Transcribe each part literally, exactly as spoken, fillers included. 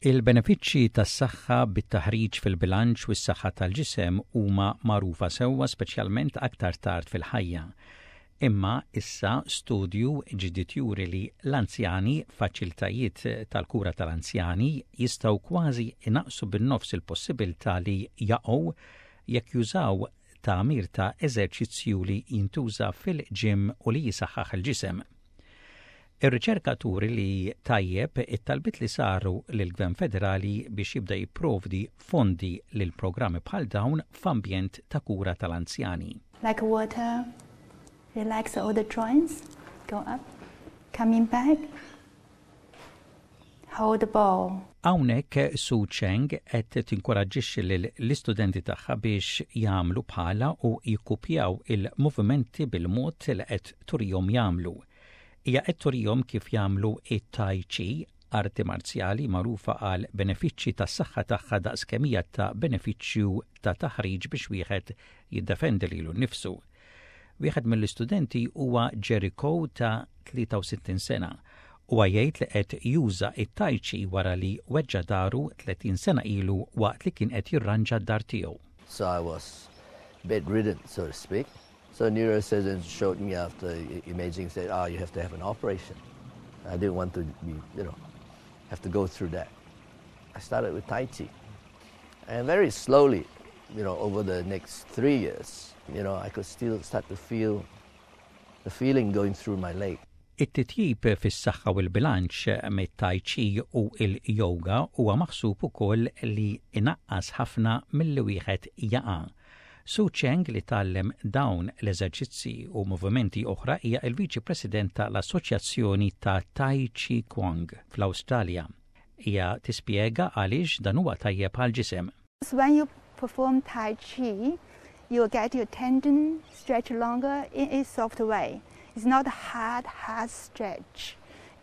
Il-benefiċċji tas-saħħa bit-taħriġ fil-bilanċ u s-saħħa tal-ġisem huma magħrufa sewwa, speċjalment aktar tard fil-ħajja. Imma issa studju ġdid juri li l-anzjani f'faċilitajiet tal-kura tal-anzjani jistgħu kważi inaqsu bin-nofs il-possibilità li jaqgħu jekk jużaw tagħmir ta' eżerċizzju li jintuża fil-gym u li jisaħħaħ il-ġisem. Ir-riċerka turi li tajjeb it-talbiet li saru lill-Gvern Federali biex jibda jipprovdi fondi lil programmi bħal dawn f'ambjent ta' kura tal-anzjani. Like water, relax all the joints, go up, coming back, hold the ball. Hawnhekk Su Cheng qed tinkoraġġixxi lill-istudenti tagħha biex jagħmlu bħalha u jikkupjaw il-movimenti bil-mod li qed turihom jagħmlu. Hija qed turihom kif jagħmlu it-Tai Chi, arti marzjali magħrufa għal benefiċċji tas-saħħa tagħha daqs kemm hija ta' benefiċċju ta' taħriġ biex wieħed jiddefendi lilu nnifsu. Wieħed mill-istudenti huwa Jericho ta' tlieta u sittin sena u jgħid li qed juża it-Tai Chi wara li weġġa dahru tletin sena ilu waqt li kien qed jirranġa d-dar tiegħu. So I was bedridden, so to speak. So neurosurgeon showed me after imaging, said, "Ah, oh, you have to have an operation." I didn't want to be, you know, have to go through that. I started with Tai Chi. And very slowly, you know, over the next three years, you know, I could still start to feel the feeling going through my leg. It-titjib fis-saħħa u l-bilanċ mit-tai chi u il-yoga huwa maħsub ukoll li inaqqas ħafna milli wieħed jaqa'. Su Cheng, li tgħallem dawn l-eżerċizzi u movimenti oħra, hija il-Viċi President tal-Assoċjazzjoni ta' Tai Chi Chuan fl-Awstralja. Hija tispjega għaliex dan huwa tajjeb għal-ġisem. When you perform Tai Chi, you get your tendon stretch longer in a soft way. It's not a hard, hard stretch.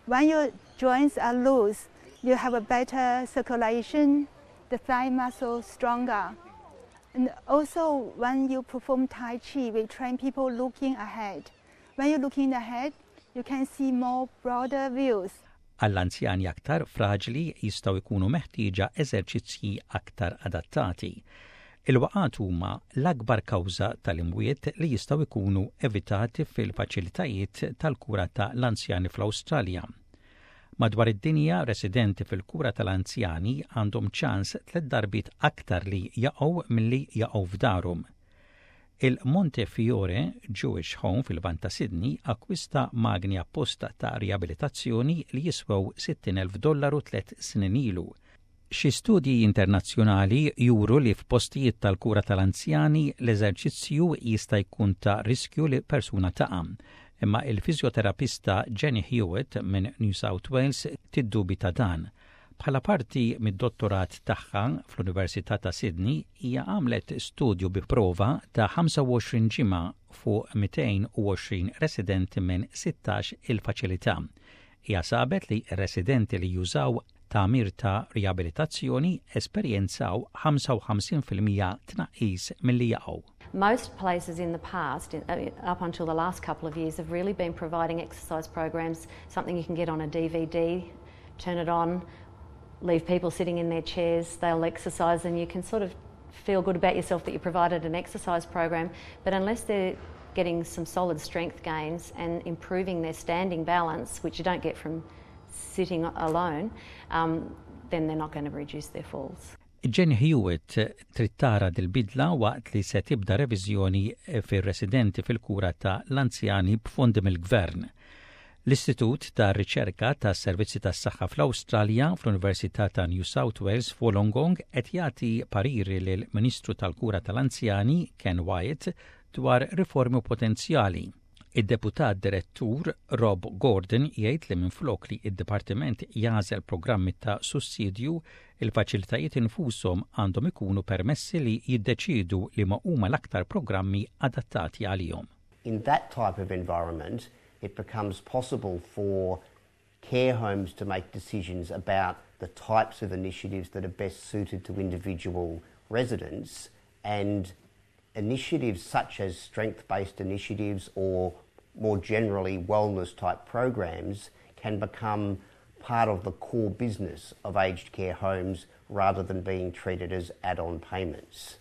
When your joints are loose, you have a better circulation, the thigh muscle stronger. And also, when you perform Tai Chi, we train people looking ahead. When you're looking ahead, you can see more broader views. Għall-anzjani aktar fraġli jistgħu jkunu meħtieġa eżerċizzji aktar adattati. Il-waqgħat huma l-akbar kawża tal-imwiet li jistgħu jkunu evitati fil-faċilitajiet tal-kura ta' l-anzjani fl-Awstralja. Madwar id-dinja, residenti fil-kura tal-anzjani għandhom ċans tliet darbiet aktar li jaqgħu milli jaqgħu f'darhom. Il-Montefiore Jewish Home fil-Lvant ta' Sydney akkwista magni apposta ta' riabilitazzjoni li jiswew sittin elf dollaru tliet snin ilu. Xi studji internazzjonali juru li f'postijiet tal-kura tal-anzjani l-eżerċizzju jista' jkun ta' riskju li persuna taqa'. Imma il-fizjoterapista Jenny Hewitt minn New South Wales tiddubita dan. Bħala parti mid-dottorat tagħha fl-Università ta' Sydney, hija għamlet studju bi prova ta' ħamsa u għoxrin ġimgħa fuq mitejn u għoxrin residenti minn sittax il-faċilità. Hija sabet li residenti li jużaw tagħmir ta' riabilitazzjoni esperjenzaw ħamsa u ħamsin fil-mija tnaqqis milli jaqgħu. Most places in the past, uh, up until the last couple of years, have really been providing exercise programs, something you can get on a D V D, turn it on, leave people sitting in their chairs, they'll exercise, and you can sort of feel good about yourself that you provided an exercise program. But unless they're getting some solid strength gains and improving their standing balance, which you don't get from sitting alone, um, then they're not going to reduce their falls. Jenny Hewitt trid tara dil-bidla waqt li se tibda reviżjoni fir-residenti fil-kura ta' l-anzjani b'fondi mill-gvern. L-Istitut ta' Riċerka ta' Servizzi tas Saħħa fl-Awstralja fl-Università ta' New South Wales f'Wollongong qed jagħti pariri lil Ministru tal-Kura tal-Anzjani Ken Wyatt dwar riformi potenzjali. Id-deputat direttur Rob Gordon jgħid li minflok li id-dipartiment jagħżel programmi ta' sussidju, il-faċilitajiet infushom għandhom ikunu permessi li jiddeċidu li ma huma l-aktar programmi adattati għalihom. In that type of environment, it becomes possible for care homes to make decisions about the types of initiatives that are best suited to individual residents, and initiatives such as strength-based initiatives or more generally wellness type programs can become part of the part of the core business of aged care homes rather than being treated as add-on payments.